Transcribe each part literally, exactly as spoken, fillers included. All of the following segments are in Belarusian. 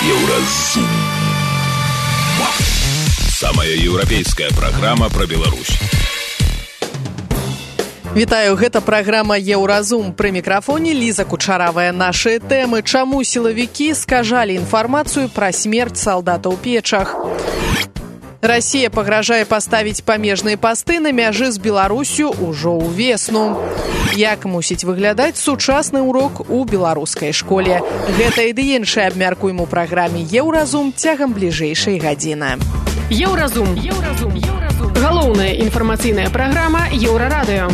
Еўразум. Самая еўрапейская праграма пра Беларусь. Вітаю, гэта праграма «Еўразум». Пры мікрафоне Ліза Кучаравая. Нашы тэмы. Чаму сілавікі скажалі інфармацыю пра смерць салдата ў печах? Расія пагражае паставіць памежныя пасты на мяжы з Беларусю ўжо ўвесну. Як мусіць выглядаць сучасны урок у беларускай школе? Гэта і ды іншае абмяркуем у праграме «Еўразум» цягам бліжэйшай гадзіны. Еўразум. Еўразум. Еўразум. Галоўная інфармацыйная праграма Еўрарадыё.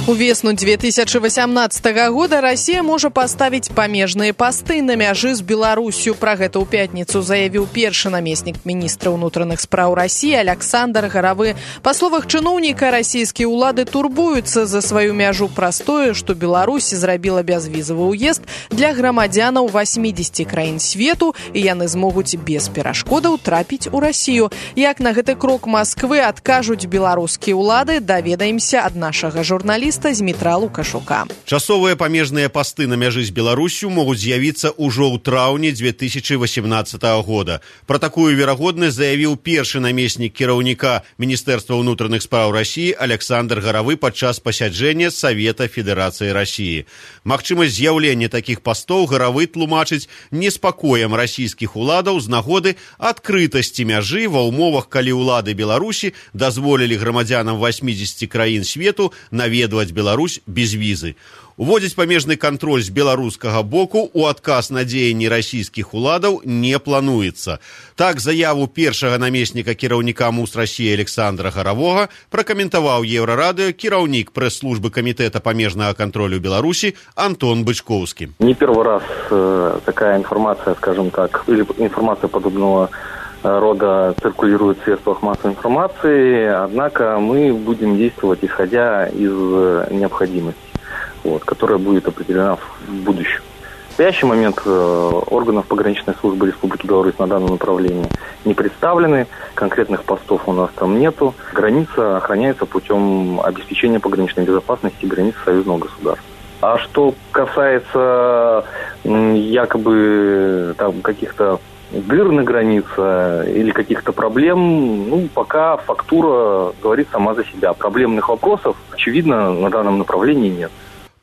Увесну две тысячи восемнадцатого года Расія можа паставіць памежныя пасты на мяжы з Беларусю. Пра гэта ў пятніцу заявіў першы намеснік міністра ўнутраных спраў Расіі Александр Гаравы. Па словах чыноўніка, расійскія ўлады турбуюцца за сваю мяжу праз тое, што Беларусь зрабіла бязвізавы ўезд для грамадзянаў восьмідзесяці краін свету, і яны змогуць без перашкодаў трапіць у Расію. Як на гэты крок Масквы адкажуць беларускія ўлады, даведаемся ад нашага журналіста Змітра Лукашука. Часовыя памежныя пасты на мяжы з Беларусю могуць з'явіцца ўжо ў траўні две тысячи восемнадцатого года. Пра такую верагоднасць заявіў першы намеснік кіраўніка Міністэрства ўнутраных спраў Расіі Александр Гаравы падчас пасяджэння Савета Федэрацыі Расіі. Магчымасць з'яўлення такіх пастоў Гаравы тлумачыць неспакоем расійскіх уладаў з нагоды адкрытасці мяжы ва ўмовах, калі ўлады Беларусі дазволілі грамадзянам восьмідзесяці краін свету наведваць Беларусь без візы. Уводзіць памежны кантроль з беларускага боку ў адказ на дзеянні расійскіх уладаў не плануецца. Так, заяву першага намесніка кіраўніка МУС Расіі Александра Гаравога пракаментаваў Еўрарадыё кіраўнік прэс-службы Камітэта памежнага кантролю Беларусі Антон Бычковскі. Не первый раз э, такая информация, скажем так, или информация подобного рода циркулирует в средствах массовой информации, однако мы будем действовать исходя из необходимости, вот, которая будет определена в будущем. В настоящий момент органов пограничной службы Республики Беларусь на данном направлении не представлены, конкретных постов у нас там нету. Граница охраняется путем обеспечения пограничной безопасности границ союзного государства. А что касается якобы там каких-то дыр на границе или каких-то проблем, ну, пока фактура говорит сама за себя. Проблемных вопросов, очевидно, на данном направлении нет.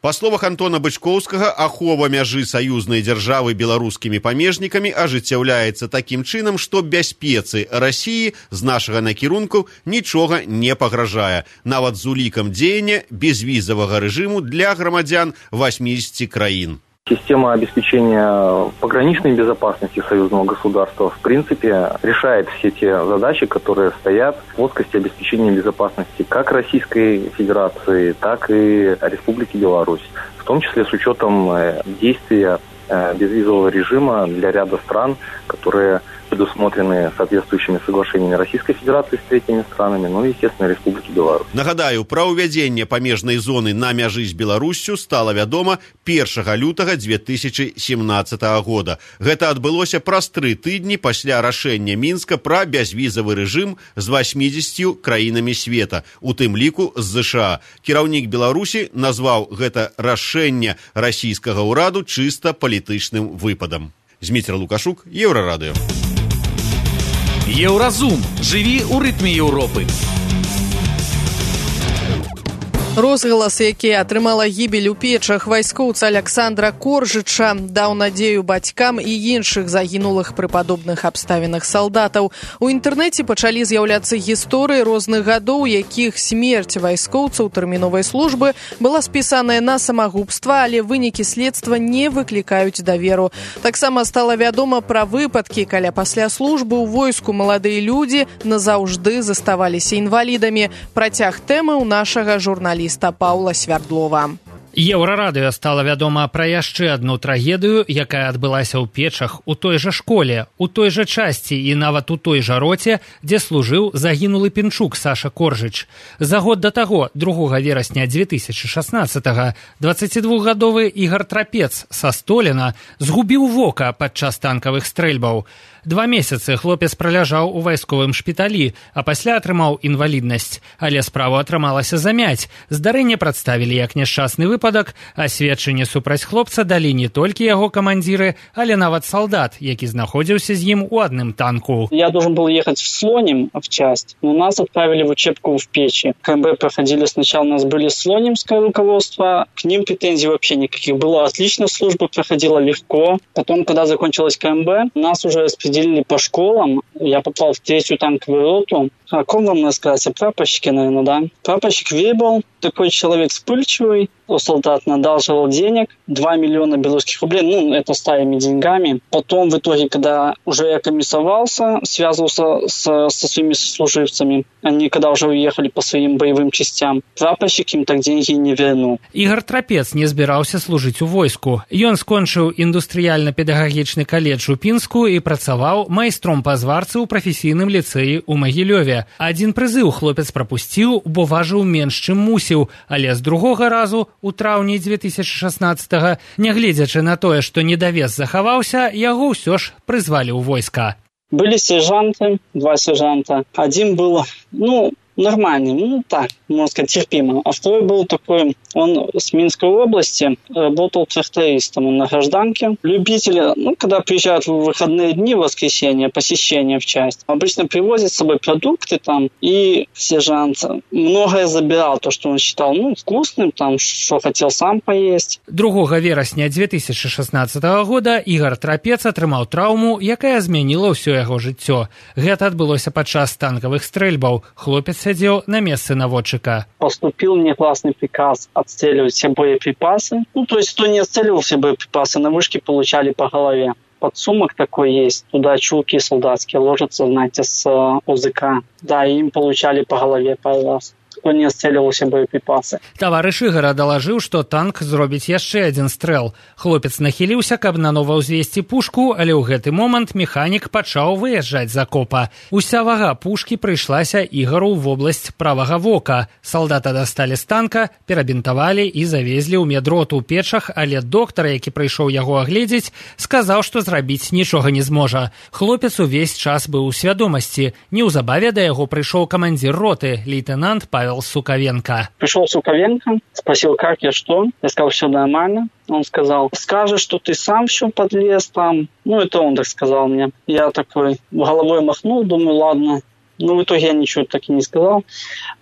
Па словах Антона Бычковскага, ахова мяжы саюзнай дзяржавы беларускімі памежнікамі ажыццяўляецца такім чынам, што бяспецы Расіі з нашага накірунку нічога не пагражае, нават з улікам дзеяння безвізавага рэжыму для грамадзян восьмідзесяці краін. Система обеспечения пограничной безопасности союзного государства, в принципе, решает все те задачи, которые стоят в плоскости обеспечения безопасности как Российской Федерации, так и Республики Беларусь, в том числе с учетом действия безвизового режима для ряда стран, которые предусмотрены соответствующими соглашениями Российской Федерации с третьими странами, ну и, естественно, Республики Беларусь. Нагадаю, пра ўвядзенне памежнай зоны на мяжы з Беларуссю стала вядома першага лютага две тысячи семнадцатого года. Гэта адбылося праз тры тыдні пасля рашэння Мінска пра бязвізавы рэжым з восьмідзесяццю краінамі света, у тым ліку з ЗША. Кіраўнік Беларусі назваў гэта рашэнне расійскага ўраду чыста палітычным выпадам. Змітра Лукашук, Еўрарадыё. Еўразум. Жыві ў рытме Еўропы. Розгалас, які атрымала гібель у печах вайскоўца Александра Коржыча, даў надзею бацькам і іншых загінулых пры падобных абставінах салдатаў. У інтэрнэце пачалі з'яўляцца гісторыі розных гадоў, якіх смерць вайскоўцаў тэрміновай службы была спісаная на самагубства, але вынікі следства не выклікаюць даверу. Таксама стала вядома пра выпадкі, каля пасля службы ў войску маладыя людзі назаўжды заставаліся інвалідамі. Працяг тэмы ў нашага журналіста Паўла Свярдлова. Еўрарадыё стала вядома пра яшчэ адну трагедыю, якая адбылася ў печах у той жа школе, у той жа часці і нават у той жа роце, дзе служыў загінулы пінчук Саша Коржыч. За год да таго, другога верасня две тысячи шаснаццатага, дваццацідвухгадовы Ігар Трапец са Століна згубіў вока падчас танкавых стрэльбаў. Два месяцы хлопец праляжаў у вайсковым шпіталі, а пасля атрымаў інваліднасць. Але справу атрымалася замяць. Здарэнне прадставілі як няшчасны выпадак выпадак, а сведчанне супраць хлопца далі не толькі яго камандзіры, але нават салдат, які знаходзіўся з ім у адным танку. Я должен был ехать в Слоним в часть, но нас отправили в учебку в Печи. КМБ проходили сначала, у нас были слонимское руководство, к ним претензий вообще никаких. Было отлично, служба проходила легко. Потом, когда закончилась КМБ, нас уже распределили по школам. Я попал в третью танковую роту. О ком вам рассказать? О прапорщике, наверное, да? Прапорщик Вейбл, такой человек вспыльчивый, у солдат надалживал денег, два миллиона белорусских рублей, ну, это старыми деньгами. Потом, в итоге, когда уже я комиссовался, связывался с, со своими сослуживцами, они, когда уже уехали по своим боевым частям, прапорщик им так деньги не вернул. Ігор Трапец не збіраўся служыць у войску. Ён скончыў індустрыяльна-педагагічны каледж у Пінску і працаваў майстром па зварцы ў прафесійным ліцэі ў Магілёве. Адзін прызыў хлопец прапусціў, бо важыў менш, чым мусіў, але з другога разу, у траўні дзве тысячы шаснаццатага, нягледзячы на тое, што недавес захаваўся, яго ўсё ж прызвалі ў войска. Были сержанты, два сержанта. Один был, ну, нормальный, ну так, можно сказать, терпимо. А второй был такой, он с Минской области, работал трактористом, он на гражданке. Любители, ну, когда приезжают в выходные дни, в воскресенье, посещение в часть, обычно привозят с собой продукты там, и сержант многое забирал, то, что он считал, ну, вкусным, там, что хотел сам поесть. другога верасня дзве тысячы шаснаццатага года Ігор Трапец атрымаў траўму, якая змяніла ўсё яго жыццё. Гэта адбылося падчас танкавых стрэльбаў. Хлопец сидел на месте наводчика. Поступил негласный приказ отстреливать все боеприпасы. Ну, то есть, кто не отстреливал все боеприпасы, на вышке получали по голове. Подсумок такой есть, туда чулки солдатские ложатся, знаете, с ОЗК. Да, им получали по голове пару раз. Кто не отстреливался боеприпасы. Таварыш Ігора далажыў, што танк зробіць яшчэ адзін стрэл. Хлопец нахіліўся, каб нанова ўзвесці пушку, але ў гэты момант механік пачаў выязджаць з акопа. Уся вага пушкі прыйшлася Ігару ў вобласць правага вока. Салдата дасталі з танка, перабінтавалі і завезлі ў медроту ў Печах, але доктар, які прыйшоў яго агледзець, сказаў, што зрабіць нічога не зможа. Хлопец увесь час быў у свядомасці. Неўзабаве да яго прыйшоў камандзір роты, лейтенант Павел Суковенко. Пришел Суковенко, спросил, как я, что. Я сказал, все нормально. Он сказал, скажешь, что ты сам все подлез там. Ну, это он так сказал мне. Я такой головой махнул, думаю, ладно. Ну, в итоге я ничего так и не сказал.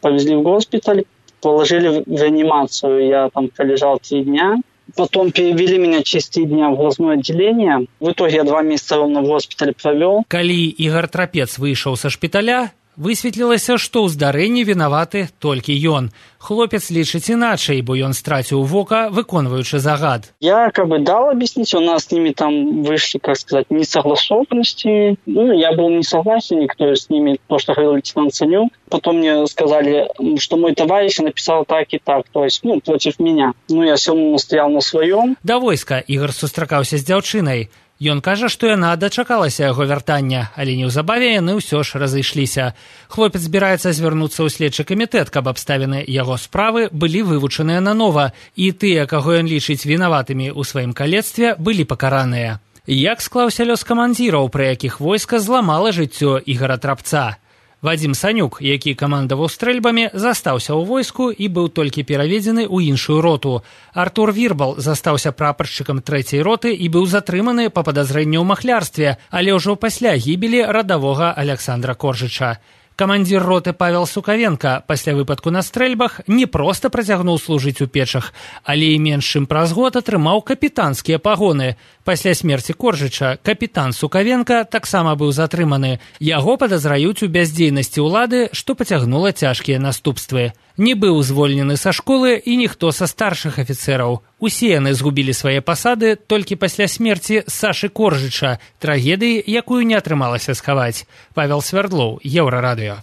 Повезли в госпиталь, положили в реанимацию. Я там пролежал три дня. Потом перевели меня через три дня в глазное отделение. В итоге я два месяца ровно в госпитале провел. Калі Ігор Трапец выйшаў са шпіталя, высветлілася, што ў здарэнні вінаваты толькі ён. Хлопец лічыць іначай, бо ён страціў вока, выконваючы загад. Я как бы дал объяснить, у нас с ними там вышли, как сказать, несогласованности. Ну, я был не согласен, то есть с ними, то, что говорил лейтенант Санюк. Потом мне сказали, что мой товарищ написал так и так, то есть, ну, против меня. Ну, я все равно настоял на своем. Да войска Ігор сустракаўся з дзяўчынай. Ён кажа, што яна дачакалася яго вяртання, але неўзабаве яны ўсё ж разышліся. Хлопец збіраецца звярнуцца ў следчы камітэт, каб абставіны яго справы былі вывучаныя нанова, і тыя, каго ён лічыць вінаватымі ў сваім калецтве, былі пакараныя. Як склаўся лёс камандзіраў, пры якіх войска зламала жыццё Ігора Трапца? Вадзім Санюк, які камандаваў стрэльбамі, застаўся ў войску і быў толькі пераведзены ў іншую роту. Артур Вірбал застаўся прапаршчыкам трэцяй роты і быў затрыманы па падазрэнню ў махлярстве, але ўжо пасля гібелі радавога Аляксандра Коржыча. Камандзір роты Павел Суковенко пасля выпадку на стрэльбах не проста працягнуў служыць у Печах, але і менш чым праз год атрымаў капітанскія пагоны. Пасля смерці Коржыча капітан Суковенко таксама быў затрыманы. Яго падазраюць у бяздзейнасці ўлады, што пацягнула цяжкія наступствы. Не быў звольнены са школы і ніхто са старшых афіцэраў. Усе яны згубілі свае пасады толькі пасля смерці Сашы Коржыча, трагедыі, якую не атрымалася схаваць. Павел Свярдлоў, Еўрарадыё.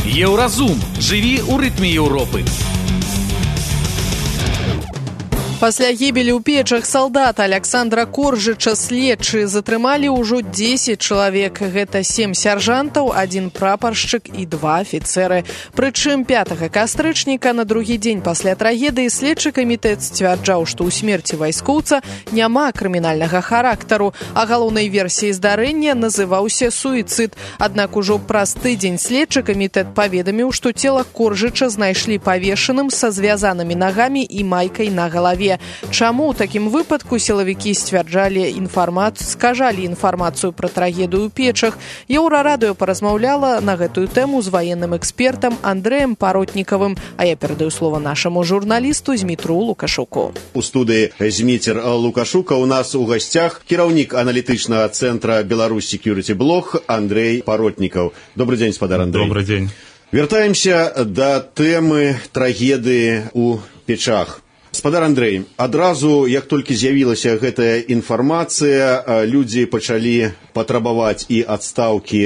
Еўразум. Жыві ў рытме Еўропы. Пасля гібелі ў печах салдата Александра Коржыча следчыя затрымалі ўжо дзесяць чалавек. Гэта сем сяржантаў, адзін прапаршчык і два афіцэры. Прычым пятага кастрычніка на другі дзень пасля трагедыі следчы камітэт сцвярджаў, што ў смерці вайскоўца няма крымінальнага характару, а галоўнай версіяй здарэння называўся суіцыд. Аднак ужо праз тыдзень следчы камітэт паведаміў, што цела Коржыча знайшлі павешаным са звязанымі нагамі і майкай на галаве. Чаму ў такім выпадку сілавікі сцвярджалі інфармацыю, скажалі інфармацыю пра трагедыю ў печах? Еўрарадыё паразмаўляла на гэтую тэму з ваенным экспертам Андрэем Паротнікавым, а я перадаю слова нашаму журналісту Змітру Лукашуку. У студыі Зміцер Лукашука у нас у гасцях кіраўнік аналітычнага цэнтра Беларусь Security Блог Андрей Паротнікаў. Добрый день, спадар Андрей. Добрый день. Вяртаемся да тэмы трагедыі ў печах. Спадар Андрей, адразу, як толькі з'явілася гэтая інфармацыя, людзі пачалі патрабаваць і адстаўкі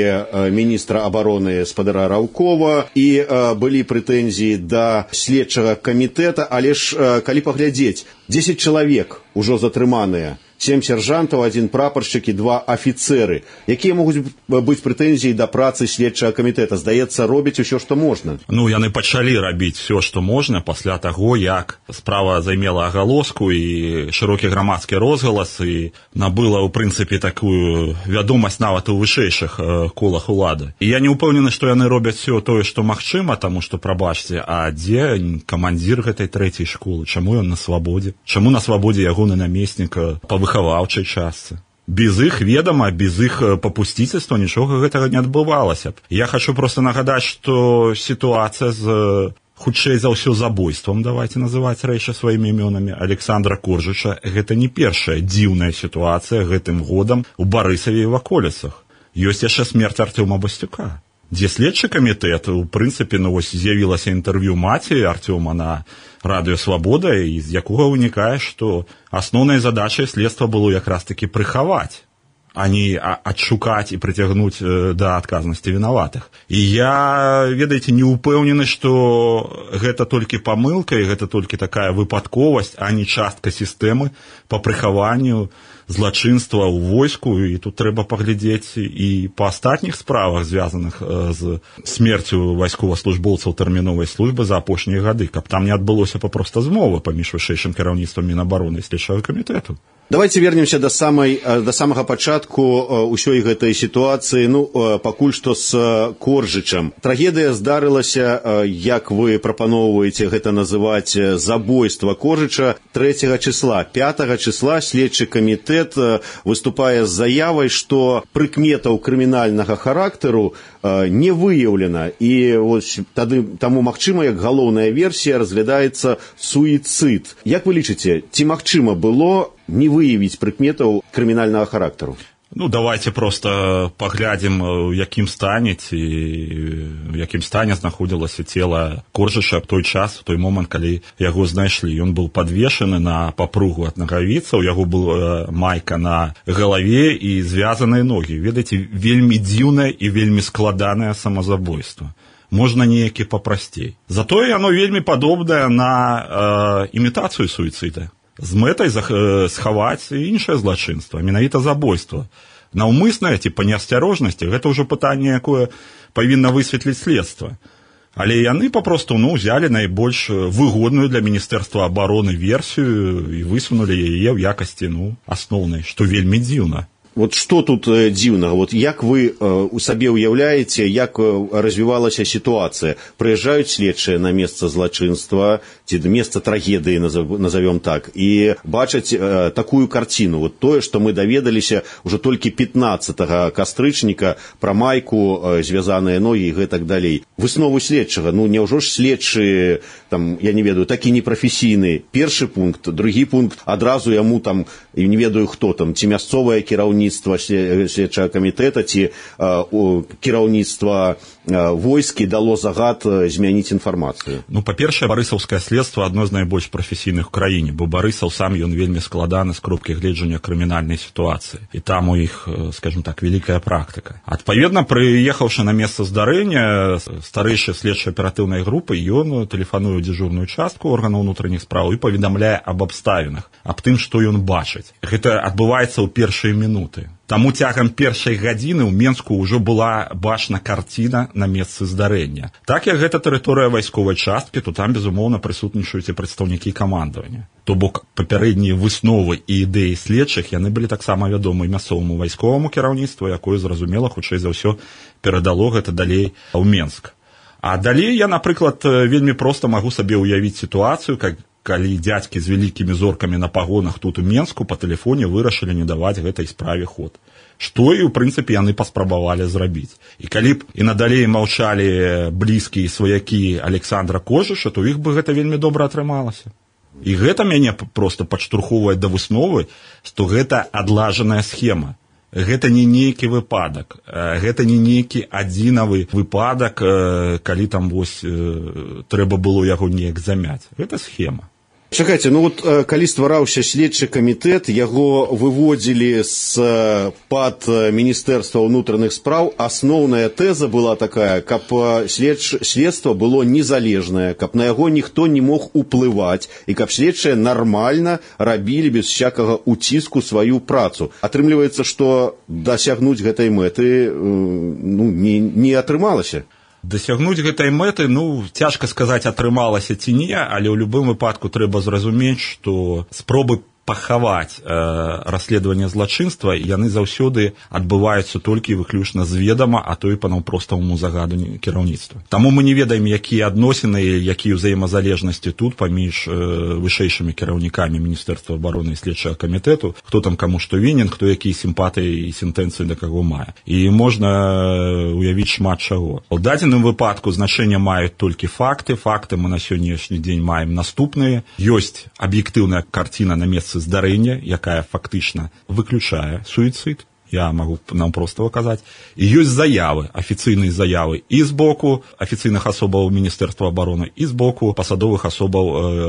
міністра абароны спадара Раўкова, і былі прэтэнзіі да следчага камітэта, але ж, калі паглядзець, дзесяць чалавек ужо затрыманыя, сем сяржантаў, адзін прапаршчык і два афіцэры. Якія могуць быць прэтэнзіі да працы следчага камітэта? Здаецца, робяць усё, што можна. Ну, яны пачалі рабіць все, што можна пасля таго, як справа займела агалоску і шырокі грамадскі розгалас і набыла, ў прынцыпе, такую вядомасць нават у вышэйшых колах улады. І я не ўпэўнены, што яны робяць все тое, што магчыма, таму што, прабачце, а дзе камандзір гэтай трэцяй школы? Чаму ён на свабодзе? Чаму на свабодзе ягоны намеснік па выхаваўчай частцы? Без іх ведама, без іх папусціцельства нічога гэтага не адбывалася б. Я хочу просто нагадаць, што сітуацыя з хутчэй за ўсё забойствам, давайте называць рэчы сваімі імёнамі, Александра Коржыча, гэта не першая дзіўная сітуацыя гэтым годам у Барысаве і ваколіцах. Ёсць яшчэ смерць Артёма Бастюка, дзе следчы камітэт, у прынцыпе, ну вось з'явілася інтэрв'ю маці Артёма на радыё «Свабода», і з якога вынікае, што асноўнай задачай следства было якраз-такі прыхаваць, а не адшукаць і прыцягнуць да адказнасці вінаватых. І я, ведаеце, не ўпэўнены, што гэта толькі памылка, і гэта толькі такая выпадковасць, а не частка сістэмы па прыхаванню злачынства ў войску, і тут трэба паглядзець і па астатніх справах, звязаных з смерцю вайсковаслужбоўцаў тэрміновай службы за апошнія гады, каб там не адбылося папроста змовы паміж вышэйшым кіраўніцтвам Мінабароны і следчага камітэту. Давайте вернемся до самой, до самого початку усёй гэтай ситуации, ну, пакуль што с Коржычам. Трагедыя здарылася, як вы прапаноўваеце гэта называць, забойства Коржыча трэцяга числа. пятага числа следчы камітэт выступае з заявай, што прыкметаў крымінальнага характару не выяўлена, і вось тады таму магчыма, як галоўная версія разглядаецца суіцыд. Як вы лічыце, ці магчыма было не выявіць прыкметаў крымінальнага характару? Ну, давайте просто паглядзім, у якім стане ці у якім стане знаходзілася цела Коржыча в той час, в той момант, калі яго знайшлі. Ён быў падвешаны на папругу ад нагавіцаў, яго была майка на галаве і звязаныя ногі. Ведаеце, вельмі дзіўнае і вельмі складанае самазабойства. Можна неякі папрасцей. Затое яно вельмі падобнае на э, імітацыю суіцыда, з мэтай схаваць іншае злачынства, менавіта забойства. Наўмыснае ці па неасцярожнасці, гэта ўжо пытанне, якое павінна высветліць следства. Але яны папросту, ну, узялі найбольш выгодную для Міністэрства абароны версію і высунулі яе ў якасці, ну, асноўнай, што вельмі дзіўна. Вот что тут э, дзіўнага? Вот як вы э, у сабе уяўляеце, як э, развівалася сітуацыя? Прыязджаюць следчыя на месца злачынства, ці месца трагедыі, назовем так, і бачаць э, такую карціну. Вот тое, што мы даведаліся ўжо толькі пятнаццатага кастрычніка пра майку, э, звязаныя ногі і гэтак далей. Выснову следчага, ну, няўжо ж следчы, там, я не ведаю, такі непрафесійны. Першы пункт, другі пункт, адразу яму там, не ведаю хто там, ці мясцовае кіраўніцтва, кіраўніцтва следчага камітэта ці кіраўніцтва войскі дало загад змяніць інфармацыю? Ну, па-першае, барысаўскае следства адно з найбольш прафесійных у краіне, бо Барысаў сам ён вельмі складаны з кропкі гледжання крымінальнай сітуацыі. І там у іх, скажем так, вялікая практыка. Адпаведна, прыехаўшы на месца здарэння, старэйшы следчай аператыўнай групы, ён тэлефануе ў дзежурную частку органаў унутраных спраў і паведамляе аб абставінах, аб тым, што ён бачыць. Гэта адбываецца ў першыя мінуты. Таму цягам першай гадзіны ў Менску ўжо была бачна карціна на месцы здарэння. Так як гэта тэрыторыя вайсковай часткі, то там, безумоўна, прысутнічаюць і прадстаўнікі камандавання. То бок папярэднія высновы і ідэі следчых, яны былі таксама вядомы мясцоваму вайсковаму кіраўніцтву, якое, зразумела, хутчэй за ўсё перадало гэта далей ў Менск. А далей я, напрыклад, вельмі проста магу сабе ўявіць сітуацыю, как калі дзядзькі з вялікімі зоркамі на пагонах тут у Менску па тэлефоне вырашылі не даваць гэтай справе ход. Што і, ў прынцыпе, яны паспрабавалі зрабіць. І калі б і надалей маўчалі блізкія сваякі Александра Кожыша, то іх бы гэта вельмі добра атрымалася. І гэта мяне проста падштурхоўвае да высновы, што гэта адлажаная схема. Гэта не нейкі выпадак, гэта не нейкі адзінавы выпадак, калі там вось трэба было яго неяк замяць. Гэта схема. Чакайце, ну вот калі ствараўся следчы камітэт, яго выводзілі з-пад Міністэрства ўнутраных спраў. Асноўная тэза была такая, каб следч... следства было незалежнае, каб на яго ніхто не мог уплываць і каб следчыя нармальна рабілі без всякага уціску сваю працу. Атрымліваецца, што дасягнуць гэтай мэты ну, не, не атрымалася. Дасягнуць гэтай мэты, ну, цяжка сказаць, атрымалася ці не, але ў любым выпадку трэба зразумець, што спробы пахаваць э, расследаванне злачынства, яны заўсёды адбываюцца толькі выключна з ведама, а то і па наўпроставаму загаду кіраўніцтва. Таму мы не ведаем, якія адносіны, якія ўзаемазалежнасці тут паміж э, вышэйшымі кіраўнікамі Міністэрства абароны і следчага камітэту, хто там каму што вінен, хто якія сімпатыі і сентэнцыі да каго мае. І можна уявіць шмат чаго. У дадзеным выпадку значэнне маюць толькі факты. Факты мы на сённяшні дзень маем наступныя. Ёсць аб'ектыўная карціна на месцы здарэння, якая фактычна выключае суіцыд, я магу нам проста казаць. І ёсць заявы, афіцыйныя заявы і з боку афіцыйных асобаў Міністэрства абароны, і з боку пасадовых асобаў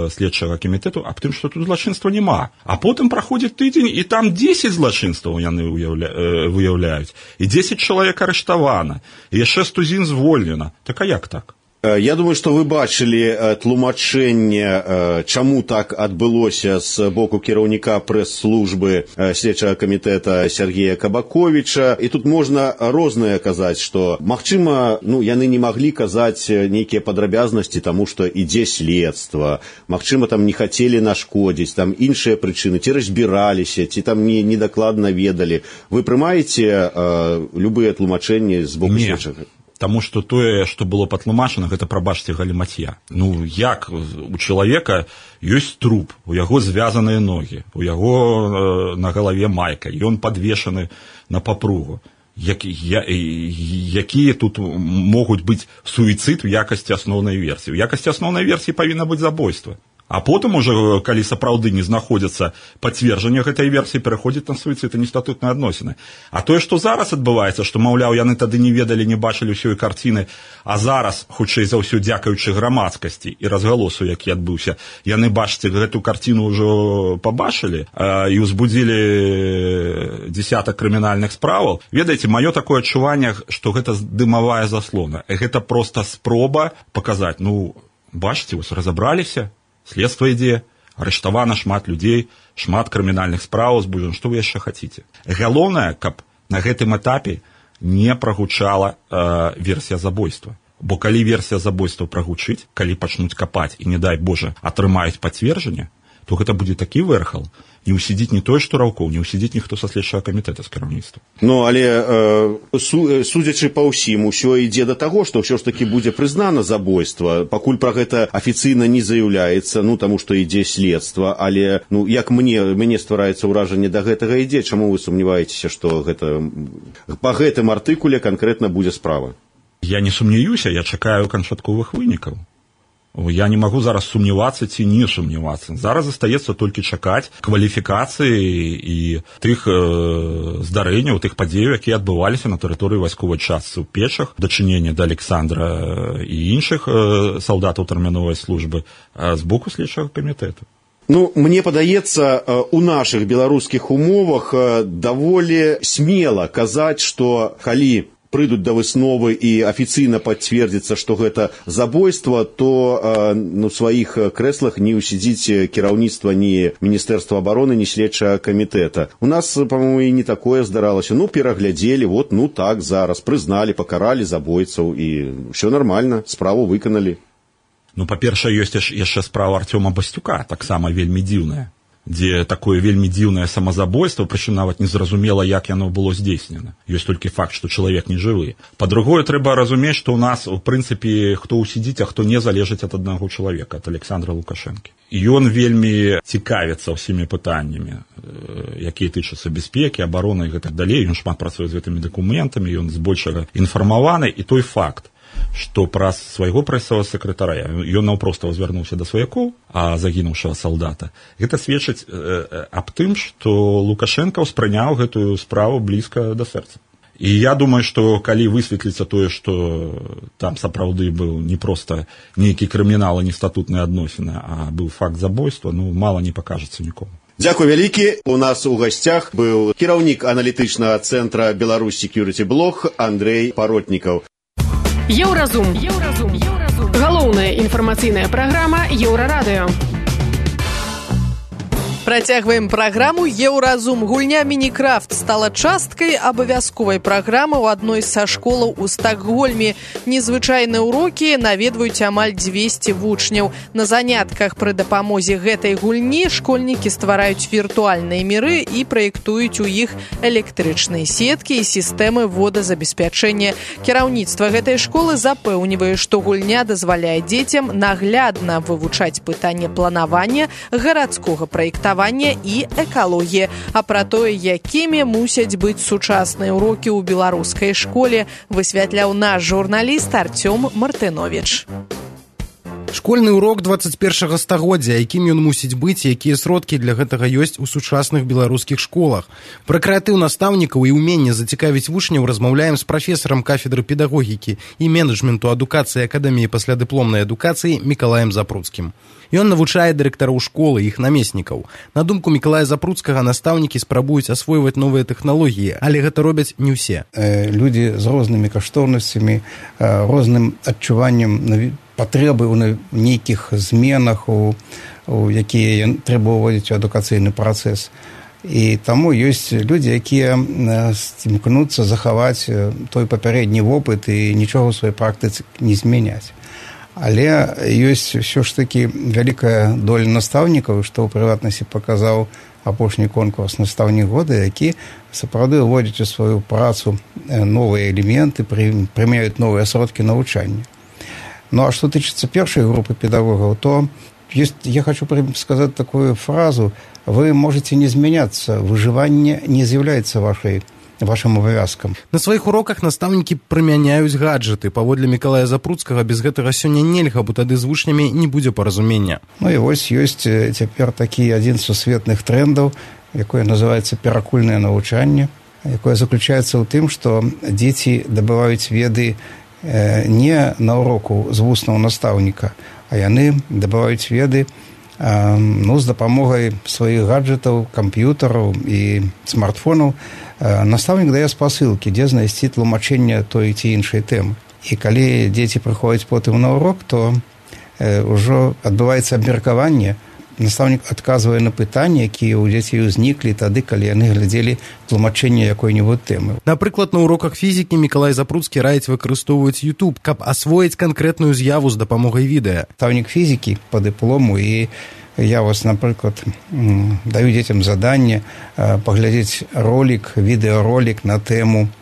э, следчага камітэту аб тым, што тут злачынства няма. А потым праходзіць тыдзень, і там дзесяць злачынстваў яны уяўля... э, выяўляюць. І дзесяць чалавек арыштавана, і яшчэ сто звольнена. Так а як так? Я думаю, што вы бачылі тлумачэнне, чаму так адбылося з боку кіраўніка прэс-службы следчага камітэта Сергея Кабаковіча. І тут можна рознае казаць, што, магчыма, ну, яны не маглі казаць нейкія падрабязнасці, таму што ідзе следства. Магчыма, там не хацелі нашкодзіць, там іншыя прычыны, ці разбіраліся, ці там не, недакладна ведалі. Вы прымаеце э, любыя тлумачэнні з боку следчага? Таму што тое, што было патлумачана, гэта, прабачце, галіматья. Ну, як у чалавека ёсць труп, у яго звязаныя ногі, у яго э, на галаве майка, ён падвешаны на папругу. Які, я, якія тут могуць быць суіцыд у якасці асноўнай версіі? У якасці асноўнай версіі павінна быць забойства. А потым ужо, калі сапраўды не знаходзяцца пацверджанне гэтай версіі, пераходзіць на суіцыд і нестатутныя адносіны. А тое, што зараз адбываецца, што, маўляў, яны тады не ведалі, не бачылі ўсёй карціны, а зараз, хутчэй за ўсё, дзякаючы грамадскасці і разгалосу, які адбыўся, яны, бачыце, гэту карціну ўжо пабачылі э, і ўзбудзілі дзесятак крымінальных справаў. Ведаеце, маё такое адчуванне, што гэта дымавая заслона. Гэта проста спроба паказаць, ну, бачыце, вось разабраліся, следства ідзе, арыштавана шмат людзей, шмат крымінальных справаў збуджана. Што вы яшчэ хаціце? Галоўнае, каб на гэтым этапе не прагучала э, версія забойства. Бо калі версія забойства прагучыць, калі пачнуць капаць і, не дай Божа, атрымаюць пацверджанне, то гэта будзе такі вэрхал. Не ўсідзіць не той, што Раўкоў, не ўсідзіць ніхто са следчага камітэта з кіраўніцтва. Ну, але э, су, судзячы па ўсім, усё ідзе да таго, што ўсё ж такі будзе прызнана забойства. Пакуль пра гэта афіцыйна не заяўляецца, ну, таму што ідзе следства, але, ну, як мне, мне ствараецца ўражанне да гэтага ідзе, чаму вы сумняваецеся, што гэта, па гэтым артыкуле канкрэтна будзе справа? Я не сумнеюся, я чакаю канчатковых вынікаў. Я не магу зараз сумнявацца ці не сумнявацца. Зараз застаецца толькі чакаць кваліфікацыі і тых э, здарэнняў, тых падзеяў, якія адбываліся на тэрыторыі вайсковай частцы ў Печах, дачынення да Александра і іншых э, салдатаў тэрміновай службы э, з боку следчага камітэту. Ну, мне падаецца, у нашых беларускіх умовах даволі смела казаць, што калі прыйдуць да высновы і афіцыйна пацвердзіцца, што гэта забойства, то ну, в сваіх крэслах не ўсядзіць кіраўніцтва ні Міністэрства абароны, ні следчага камітэта. У нас, па-моему, і не такое здаралася. Ну, пераглядзелі, вот, ну так, зараз, прызналі, пакаралі забойцаў, і ўсё нармальна, справу выканалі. Ну, па-першае, ёсць яшчэ справа Артёма Бастюка, таксама вельмі дзіўная, дзе такое вельмі дзіўнае самазабойства, прычым нават незразумела, як яно было здзейснена. Ёсць толькі факт, што чалавек не жывы. Па-другое, трэба разумець, што ў нас, у прынцыпе, хто ўсідзіць, а хто не, залежыць ад аднаго чалавека, ад Александра Лукашэнкі. Ён вельмі цікавіцца ўсімі пытаннямі, якія тычацца бяспекі, абароны і гэтак далей. Ён шмат працуе з гэтымі дакументамі, ён збольшага інфармаваны, і той факт, што праз свайго прэсавага сакратара ён наўпроста звярнуўся да сваякоў, а загінуўшага салдата. Гэта сведчыць э, аб тым, што Лукашенко ўспрыняў гэтую справу блізка да сэрца. І я думаю, што калі высветліцца тое, што там сапраўды быў не проста нейкі крымінал, а не статутныя адносіны, а быў факт забойства, ну, мала не пакажацца нікому. Дзякуй вялікі. У нас у гасцях быў кіраўнік аналітычнага цэнтра Беларусь Security Блог Андрэй Паротнікаў. Еўразум. Еўразум. Еўразум. Галоўная інфармацыйная праграма Еўрарадыё. Працягваем праграму «Еўразум». Гульня «Мінікрафт» стала часткай абавязковай праграмы ў адной са школаў у Стакгольме. Незвычайныя ўрокі наведваюць амаль дзвесце вучняў. На занятках пры дапамозе гэтай гульні школьнікі ствараюць віртуальныя міры і праектуюць у іх электрычныя сеткі і сістэмы водазабеспячэння. Кіраўніцтва гэтай школы запэўнівае, што гульня дазваляе дзецям наглядна вывучаць пытанне планавання, гарадскога праектавання і экалогія. А пра тое, якімі мусяць быць сучасныя ўрокі ў беларускай школе, высвятляў наш журналіст Артём Мартынович. Школьны урок дваццаць першага стагоддзя, якім ён мусіць быць, якія сродкі для гэтага ёсць у сучасных беларускіх школах. Пра крэатыў настаўнікаў і ўменне зацікавіць вучняў размаўляем з прафесарам кафедры педагогікі і менеджменту адукацыі Акадэміі паслядыпломнай адукацыі Мікалаем Запруцкім. Ён навучае дырэктараў школы, іх намеснікаў. На думку Мікалая Запруцкага, настаўнікі спрабуюць асвойваць новыя тэхналогіі, але гэта робяць не ўсе. Людзі з рознымі каштоўнасцямі, розным адчуваннем патрэбы ў нейкіх зменах, у, у якія трэба ўводзіць у адукацыйны працэс. І таму ёсць людзі, якія імкнуцца захаваць той папярэдні вопыт і нічога ў сваёй практыцы не змяняць. Але ёсць ўсё ж такі вялікая доля настаўнікаў, што ў прыватнасці паказаў апошні конкурс «Настаўнік года», які сапраўды ўводзяць у сваю працу новыя элементы, прымяюць новыя сродкі навучання. Ну, а что тычыцца першай групы педагогаў, то есть, я хочу сказать такую фразу: вы можете не змяняцца, выжыванне не з'яўляецца вашай вашим абавязкам. На сваіх уроках настаўнікі прымяняюць гаджеты. Паводле Мікалая Запруцкага, без гэтага сёння нельга, бо тады з вучнямі не будзе паразумення. Ну і вось ёсць цяпер такі адзін з сусветных трендаў, якое называецца перакульнае навучанне, якое заключаецца ў тым, што дзеці дабываюць веды не на уроку з вуснаў настаўніка, а яны дабываюць веды ну, з дапамогай сваіх гаджетаў, камп'ютараў і смартфонаў. Настаўнік дае спасылкі, дзе знайсці тлумачэнне той ці іншай тэмы. І калі дзеці прыходзяць потым на урок, то ўжо адбываецца абмеркаванне. Настаўнік адказвае на пытанні, якія ў дзяцей узніклі тады, калі яны глядзелі тлумачэнне якой-небудзь тэмы. Напрыклад, на уроках фізікі Мікалай Запруцкі раіць выкарыстоўваць YouTube, каб асвоіць канкрэтную з'яву з дапамогай відэа. Настаўнік фізікі па дыплому, і я вас, напрыклад, даю дзецям заданне паглядзець ролик, відэаролик на тэму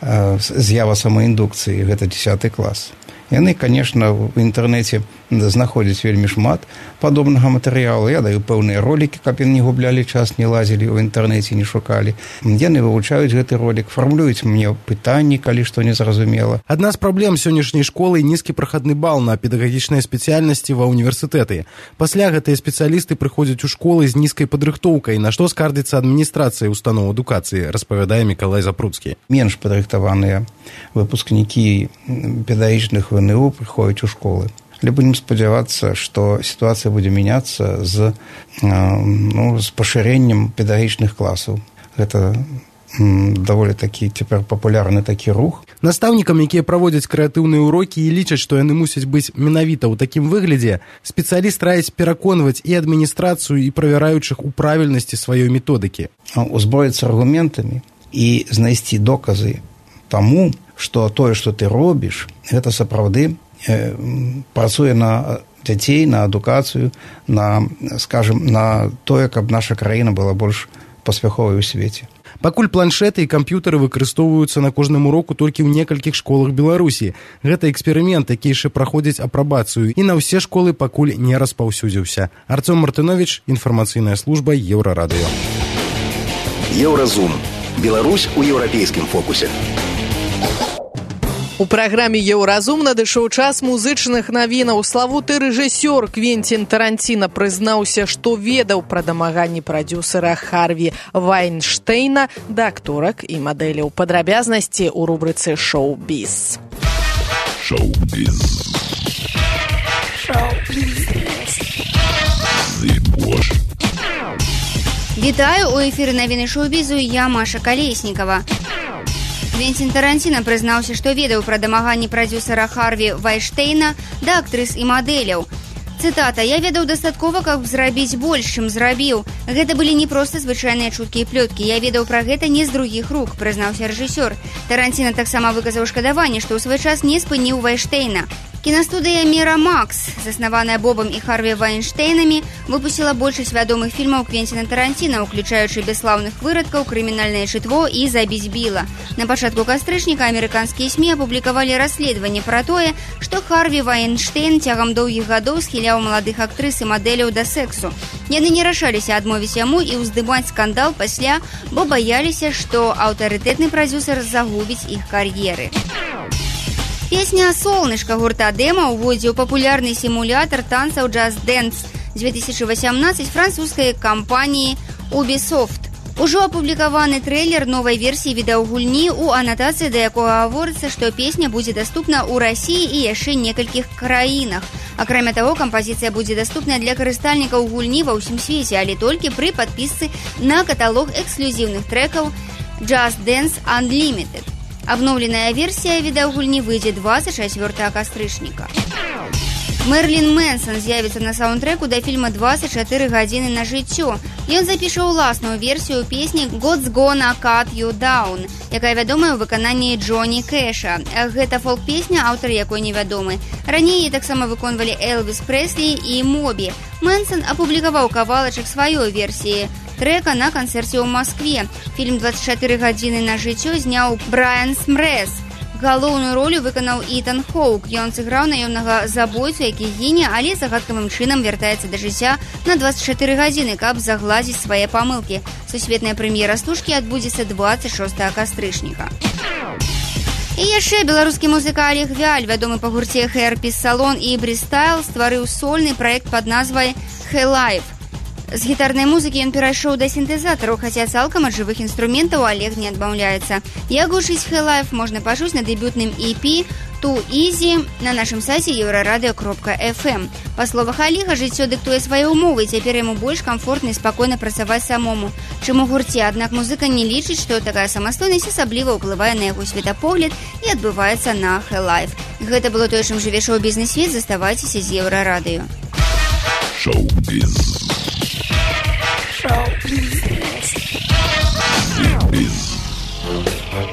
з'ява самаіндукцыі. Гэта дзесяты клас. Яны, конечно, в інтэрнэце знаходзіць вельмі шмат падобнага матэрыялу. Я даю пэўныя ролікі, каб яны не гублялі час, не лазілі ў інтэрнэце, не шукалі. Яны вывучаюць гэты ролік, фармулююць мне пытанні, калі што не зразумела. Адна з праблем сённяшняй школы – нізкі прахадны бал на педагагічныя спецыяльнасці ва ўніверсітэты. Пасля гэтыя спецыялісты прыходзяць у школы з нізкай падрыхтоўкай, на што скардзіцца адміністрацыя устаноў адукацыі, распавядае Мікалай Запруцкі. Менш падрыхтаваныя выпускнікі педагагічных вэ эн у прыходзяць у школы. Але будем спадзявацца, што сітуацыя будзе мяняцца з, ну, з пашырэннем педагагічных класаў. Гэта даволі такі цяпер папулярны такі рух. Настаўнікам, якія праводзяць крэатыўныя урокі і лічаць, што яны мусяць быць менавіта ў такім выглядзе, спецыяліст раіць пераконваць і адміністрацыю, і правяраючых у правільнасці сваёй методыкі. Узброіцца аргументамі і знайсці доказы таму, што тое, што ты робіш, гэта сапраўды э, працуе на дзяцей, на адукацыю, на, скажем, на тое, каб наша краіна была больш паспяховай у свеце. Пакуль планшеты і камп'ютары выкарыстоўваюцца на кожным уроку толькі ў некалькіх школах Беларусі. Гэта эксперымент, які яшчэ праходзіць апрабацыю, і на ўсе школы пакуль не распаўсюдзіўся. Арцём Мартынович, інфармацыйная служба Еўрарадыё. Еўразум. Беларусь у еўрапейскім фокусе. У праграме «Еўразум» надышоў час музычных навінаў. Славуты рэжысёр Квенцін Таранціна прызнаўся, што ведаў пра дамаганні прадзюсара Харві Вайнштейна да акторак і мадэляў. Падрабязнасці ў рубрыцы «Шоу-біз». Шоу-біз. Шоу-біз. Вітаю, у эфіры навіны шоу-бізу, я Маша Калеснікава. Квенцін Таранціна прызнаўся, што ведаў пра дамаганні прадзюсара Харві Вайнштейна да актрыс і мадэляў. Цытата: «Я ведаў дастаткова, каб зрабіць больш, чым зрабіў. Гэта былі не проста звычайныя чуткі і плёткі. Я ведаў пра гэта не з другіх рук», прызнаўся рэжысёр. Таранціна таксама выказаў шкадаванне, што ў свой час не спыніў Вайнштейна. Кінастудыя «Мірамакс», заснаваная Бобам і Харві Вайнштейнамі, выпусціла большасць вядомых фільмаў Квенціна Таранціна, уключаючы «Бяслаўных вырадкаў», «Крымінальнае чытво» і «Забіць Біла». На пачатку кастрычніка амерыканскія СМІ апублікавалі расследаванне пра тое, што Харві Вайнштейн цягам доўгіх гадоў схіляў маладых актрыс і мадэляў да сексу. Яны не рашаліся адмовіць яму і ўздымаць скандал пасля, бо баяліся, што аўтарытэтны прадзюсар загубіць іх кар'еры. Песня «Солнышко» гурта «Демо» уводзіў папулярны сімулятар танцаў «Just Dance» две тысячи восемнадцать французскай кампаніі Ubisoft. Ужо апублікаваны трэйлер новай версіі відэагульні, у анатацыі да якога гаворыцца, што песня будзе даступна ў Расіі і яшчэ некалькіх краінах. Акрамя таго, кампазіцыя будзе даступная для карыстальнікаў гульні ва ўсім свеце, але толькі пры падпісцы на каталог эксклюзіўных трэкаў «Just Dance Unlimited». Абноўленая версія відэагульні выйдзе двадцать чацвёртага кастрычніка. Мерлін Мэнсон з'явіцца на саундтрэку да фільма «двадцать чатыры гадзіны на жыццё». Ён запіша ўласную версію песні «God's Gonna Cut You Down», якая вядомая ў выкананні Джоні Кэша. Гэта фолк-песня, аўтар якой невядомы. Раней таксама выконвалі Элвіс Прэслі і Мобі. Мэнсон апублікаваў кавалачак сваёй версіі трека на канцэрце ў Маскве. Фільм «двадцать чатыры гадзіны на жыццё» зняў Брайан Смрэс. Галоўную ролю выканаў Ітан Хоук. Ён сыграў наёмнага забойцу, які гіне, але загадкавым чынам вяртаецца да жыцця на двадцать чатыры гадзіны, каб загладзіць свае памылкі. Сусветная прэм'ера стужкі адбудзецца двадцать шостага кастрычніка. І яшчэ беларускі музыка Олег Вяль, вядомы па гурце Hairpiece Salon і Брістайл, стварыў сольны праект пад назвай «Hey Life». З гітарнай музыкі ён перайшоў да сінтэзатараў, хаця цалкам ад жывых інструментаў Олег не адмаўляецца. Як гучыць «Hey Life» можна пачуць на дэбютным і пі «Too Easy» на нашым сайце еўрарадыё кропка эф эм. Па словах Олега, жыццё дыктуе свае ўмовы, цяпер яму больш камфортна і спакойна працаваць самому, чым у гурце. Аднак музыка не лічыць, што такая самастойнасць асабліва ўплывае на яго светапогляд і адбываецца на «Hey Life». Гэта было тое, чым жыве шоу-бізнес-свет. Заставайцеся з еўрарадыё. Шоу-біз.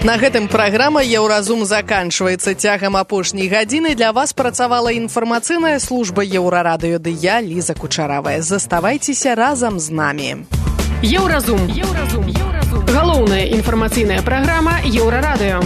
На гэтым праграма «Еўразум» заканчваецца. Цягам апошняй гадзіны для вас працавала інфармацыйная служба Еўрарадыё, ды я, Ліза Кучаравая. Заставайцеся разам з намі. Еўразум. Еўразум. Галоўная інфармацыйная праграма Еўрарадыё.